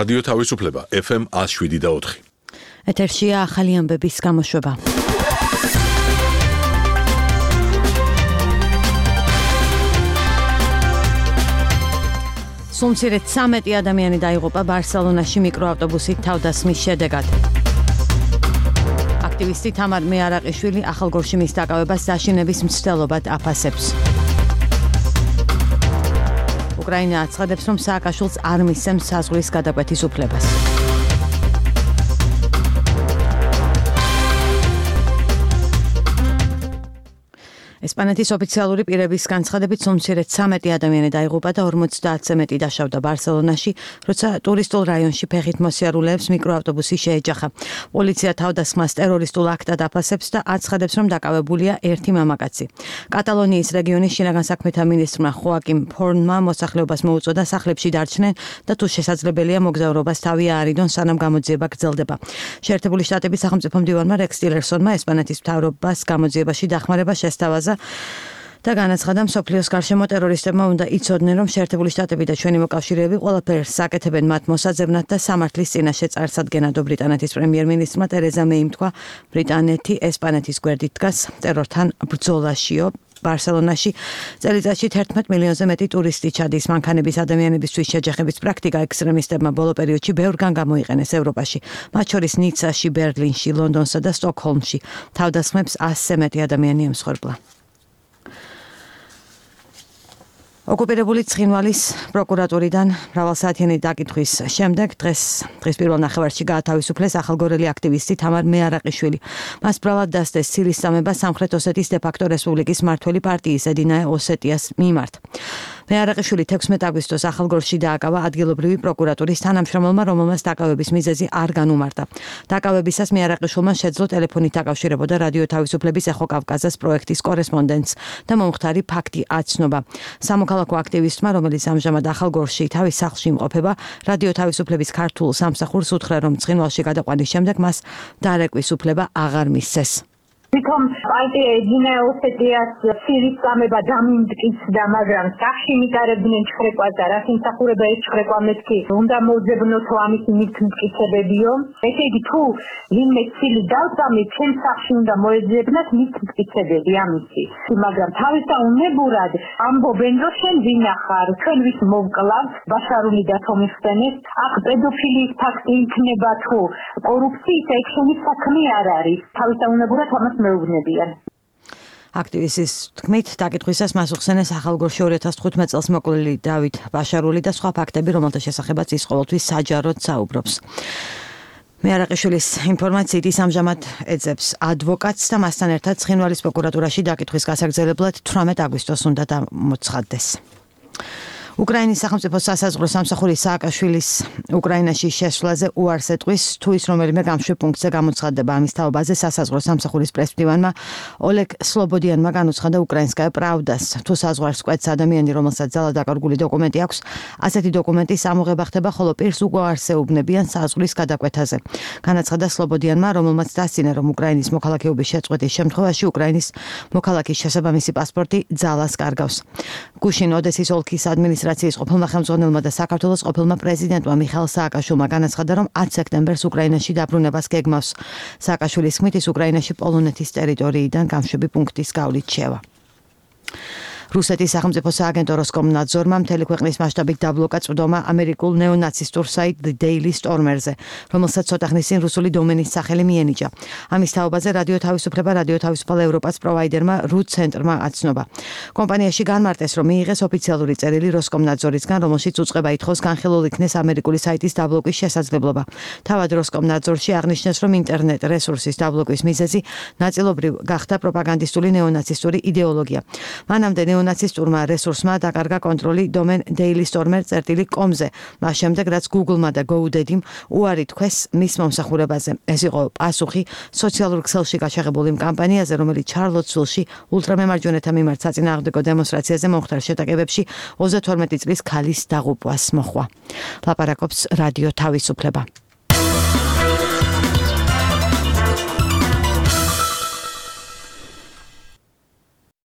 რადიო თავისუფლება FM 107.4. ეთერშია ახალი ამბების გამოშვება. სულ 13 ადამიანი დაიღუპა ბარსელონაში მიკროავტობუსით თავდასხმის შედეგად. აქტივისტი თამარ მეარაყიშვილი ახალგორში მის დაკავებას დაშინების მცდელობად აფასებს. უკრაინა აცხადებს, რომ სააკაშვილს არ მისცემს საზღვრის გადაკვეთის უფლებას. ესპანეთის ოფიციალური პირების განცხადებით სულ 13 ადამიანი დაიღუპა და 50-ზე მეტი დაშავდა ბარსელონაში, როცა ტურისტულ რაიონში ფეხით მოსიარულეებს მიკროავტობუსი შეეჯახა. პოლიცია თავდასხმას ტერორისტულ აქტად აფასებს და აცხადებს, რომ დაკავებულია ერთი მამაკაცი. კატალონიის რეგიონის შინაგან საქმეთა მინისტრმა ხოაკიმ ფორნმა მოსახლეობას მოუწოდა სახლებში დარჩნენ და თუ შესაძლებელია მოგზაურობას თავი აარიდონ, სანამ გამოძიება გრძელდება. შეერთებული შტატების სახელმწიფო მდივანმა რექს ტილერსონმა ესპანეთის მთავრობას გამოძიებაში დახმარება შესთავაზა და განაცხადა, მსოფლიოს გარშემო ტერორისტებმა უნდა იცოდნენ, რომ შეერთებული შტატები და ჩვენი მოკავშირეები ყველაფერს აკეთებენ მათ მოსაძებნად და სამართლის წინაშე წარსადგენად. ბრიტანეთის პრემიერ-მინისტრმა ტერეზა მეიმ თქვა, ბრიტანეთი ესპანეთის გვერდით დგას ტერორთან ბრძოლაშიო. ბარსელონაში წელიწადში 11 მილიონზე მეტი ტურისტი ჩადის. მანქანების ადამიანებისთვის შეჯახების პრაქტიკა ექსტრემისტებმა ბოლო პერიოდში ბევრგან გამოიყენეს ევროპაში, მათ შორის ნიცაში, ბერლინში, ლონდონსა და სტოკჰოლმში. თავდასხმებს 100-ზე მეტი ადამიანი ემსხვერპლა. ოკუპირებული ცხინვალის პროკურატურიდან მრავალსაათიანი დაკითხვის შემდეგ დღეს პირველ ნახევარში გაათავისუფლეს ახალგორელი აქტივისტი თამარ მეარაყიშვილი. მას ბრალად დასდეს ცილის წამება სამხრეთ ოსეთის დე-ფაქტო რესპუბლიკის მმართველი პარტიის ედინაე ოსეტიას მიმართ. მეარაყიშვილი 16 აგვისტოს ახალგორში დააკავა ადგილობრივი პროკურატურის თანამშრომელმა, რომელმაც დაკავების მიზეზი არ განუმარტა. დაკავებისას მეარაყიშვილმა შეძლო ტელეფონით აკავშირებოდა რადიო თავისუფლების ეხო კავკაზას პროექტის კორესპონდენტს და მომხდარი ფაქტი აცნობა. სამოქალაქო აქტივისტმა, რომელიც ამჟამად ახალგორში თავის სახლში იმყოფება, რადიო თავისუფლების ქართულ სამსახურს უთხრა, რომ ცხინვალში გადაყვანის შემდეგ მას დარეკვის უფლება აღარ მისცეს. თვითონ პარტია ედინაე ოსეტიას ცილის წამება დამიმტკიცდა, მაგრამ სახში მიტარებდნენ ჩხრეკვას და რაც იმსახურება ეს ჩხრეკვა მეთქი უნდა მოძებნოთო ამის მიტკიცებებიო. ესე იგი თუ ვინმე ცილი დავწამი, ჩემ სახში უნდა მოეძებნათ მიტკიცებები ამისი. მაგრამ თავისაუნებურად ამბობენ, რომ შენ ვინახარ, ჩვენ ვის მოვკლავთ, ბაშარული დათომიხსენეს, აქ პედოფილიის ფაქტი იქნება თუ კორუფციის ექშენის საქმე არ არის. თავისაუნებურად ამას მეუბნებიან. აქტივისტის თქმით, დაკითხვისას მას უხსენეს ახალგორში 2015 წელს მოკლული დავით ბაშარული და სხვა ფაქტები, რომელთა შესახებაც ის ყოველთვის საჯაროდ საუბრობს. მეარაყიშვილის ინფორმაციით ის ამჟამად ეძებს ადვოკატს და მასთან ერთად ცხინვალის პროკურატურაში დაკითხვის გასაგრძელებლად 18 აგვისტოს უნდა გამოცხადდეს. უკრაინის სახელმწიფო სასაზღვრო სამსახური სააკაშვილის უკრაინაში შესვლაზე უარს ეტყვის, თუ ის რომელიმე გამშვებ პუნქტზე გამოცხადდება. ამის თაობაზე სასაზღვრო სამსახურის პრესმდივანმა ოლეგ სლობოდიანმა განუცხადა უკრაინსკაია პრავდას, თუ საზღვარს კვეთს ადამიანი, რომელსაც ძალად დაკარგული დოკუმენტი აქვს, ასეთი დოკუმენტის ამოღება ხდება, ხოლო პირს უარს ეუბნებიან საზღვრის გადაკვეთაზე. განაცხადა სლობოდიანმა, რომელმაც დასცინა, რომ უკრაინის მოქალაქეობის შეწყვეტის შემთხვევაში უკრაინის მოქალაქის შესაბამისი პასპორტი ძალას კარგავს. გუშინ ოდესის ოლქის ადმინისტრაციის ყოფილმა ხელმძღვანელმა და საქართველოს ყოფილმა პრეზიდენტმა მიხაილ სააკაშვილმა განაცხადა, რომ 10 სექტემბერს უკრაინაში დაბრუნებას გეგმავს. სააკაშვილის თქმით, ის უკრაინაში პოლონეთის ტერიტორიიდან გამშვები პუნქტის გავლით შევა. რუსეთის სახელმწიფო სააგენტო როსკომნაძორმა მთელი ქვეყნის მასშტაბით დაბლოკა წვდომა ამერიკულ ნეონაცისტურ საიტ Daily Stormer-ზე, რომელსაც ცოტა ხნის წინ რუსული დომენის სახელი მიენიჭა. ამის თაობაზე რადიო თავისუფლება, რადიო თავისუფალ ევროპას პროვაიდერმა RU ცენტრმა აცნობა. კომპანიაში განმარტეს, რომ მიიღეს ოფიციალური წერილი როსკომნაძორისგან, რომელშიც უწყება ითხოვს განხილულ იქნეს ამერიკული საიტის დაბლოკვის შესაძლებლობა. თავად როსკომნაძორში აღნიშნეს, რომ ინტერნეტ რესურსის დაბლოკვის მიზეზი ნაწილობრივ გახდა პროპაგანდისტული ნეონაცისტური იდეოლოგია. მანამდე ნაცისტურმა რესურსმა დაკარგა კონტროლი დომენ dailystormer.com-ზე, მას შემდეგ რაც Google-მა და GoDaddy-მ უარი თქვეს მის მომსახურებაზე. ეს იყო პასუხი სოციალურ ქსელში გაჩაღებულ იმ კამპანიაზე, რომელიც ჩარლოტსვილში ულტრამემარჯვენეთა მიმართ საწინააღმდეგო დემონსტრაციაზე მომხდარ შეტაკებებში 32 წლის ქალის დაღუპვას მოჰყვა. ლაპარაკობს რადიო თავისუფლება.